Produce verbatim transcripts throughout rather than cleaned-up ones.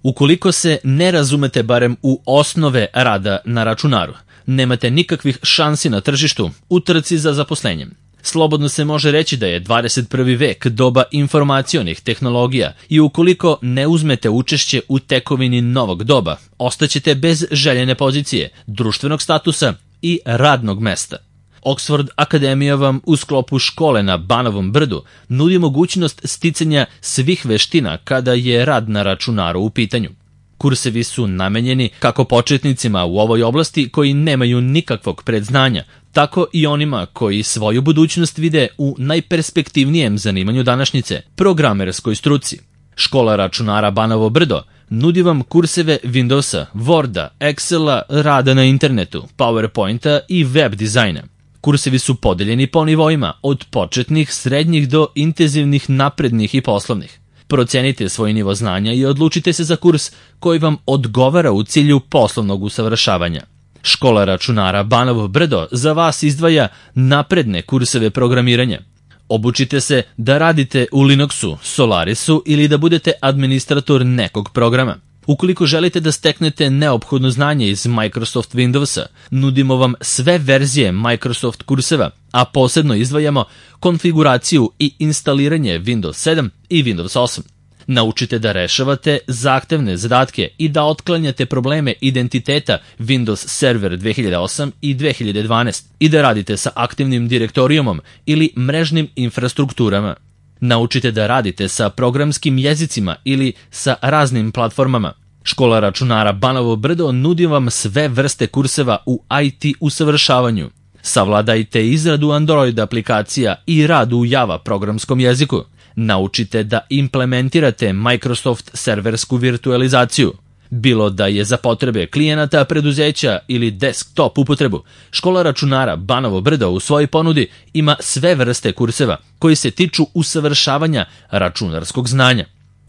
Ukoliko se ne razumete barem u osnove rada na računaru, nemate nikakvih šansi na tržištu u trci za zaposlenjem. Slobodno se može reći da je dvadeset prvi vek doba informacionih tehnologija i ukoliko ne uzmete učešće u tekovini novog doba, ostaćete bez željene pozicije, društvenog statusa i radnog mesta. Oxford Akademija vam u sklopu škole na Banovom brdu nudi mogućnost sticanja svih veština kada je rad na računaru u pitanju. Kursevi su namenjeni kako početnicima u ovoj oblasti koji nemaju nikakvog predznanja, tako i onima koji svoju budućnost vide u najperspektivnijem zanimanju današnjice, programerskoj struci. Škola računara Banovo brdo nudi vam kurseve Windowsa, Worda, Excela, rada na internetu, PowerPointa i web dizajna. Kursevi su podeljeni po nivoima, od početnih, srednjih do intenzivnih, naprednih i poslovnih. Procenite svoj nivo znanja i odlučite se za kurs koji vam odgovara u cilju poslovnog usavršavanja. Škola računara Banovo brdo za vas izdvaja napredne kurseve programiranja. Obučite se da radite u Linuxu, Solarisu ili da budete administrator nekog programa. Ukoliko želite da steknete neophodno znanje iz Microsoft Windowsa, nudimo vam sve verzije Microsoft kurseva, a posebno izdvajamo konfiguraciju i instaliranje Windows sedam i Windows osam. Naučite da rešavate zahtevne zadatke i da otklanjate probleme identiteta Windows Server dve hiljade osam i dve hiljade dvanaest i da radite sa aktivnim direktorijumom ili mrežnim infrastrukturama. Naučite da radite sa programskim jezicima ili sa raznim platformama. Škola računara Banovo brdo nudi vam sve vrste kurseva u I T usavršavanju. Savladajte izradu Android aplikacija i rad u Java programskom jeziku. Naučite da implementirate Microsoft serversku virtualizaciju. Bilo da je za potrebe klijenata, preduzeća ili desktop upotrebu, škola računara Banovo brdo u svojoj ponudi ima sve vrste kurseva koji se tiču usavršavanja računarskog znanja.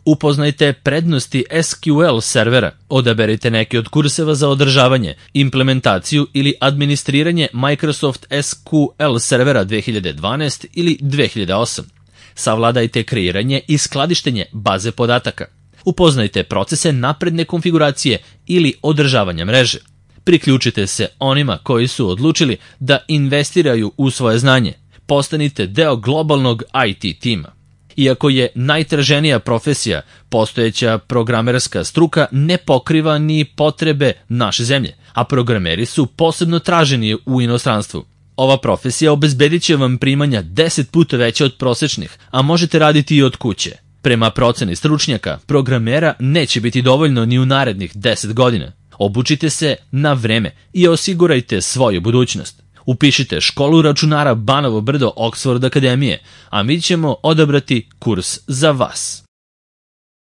Upoznajte prednosti S Q L servera, odaberite neki od kurseva za održavanje, implementaciju ili administriranje Microsoft S Q L servera dve hiljade dvanaest ili dve hiljade osam. Savladajte kreiranje i skladištenje baze podataka. Upoznajte procese napredne konfiguracije ili održavanja mreže. Priključite se onima koji su odlučili da investiraju u svoje znanje. Postanite deo globalnog I T tima. Iako je najtraženija profesija, postojeća programerska struka ne pokriva ni potrebe naše zemlje, a programeri su posebno traženi u inostranstvu. Ova profesija obezbedit će vam primanja deset puta veće od prosečnih, a možete raditi i od kuće. Prema proceni stručnjaka, programera neće biti dovoljno ni u narednih deset godina. Obučite se na vreme i osigurajte svoju budućnost. Upišite školu računara Banovo brdo Oxford Akademije, a mi ćemo odabrati kurs za vas.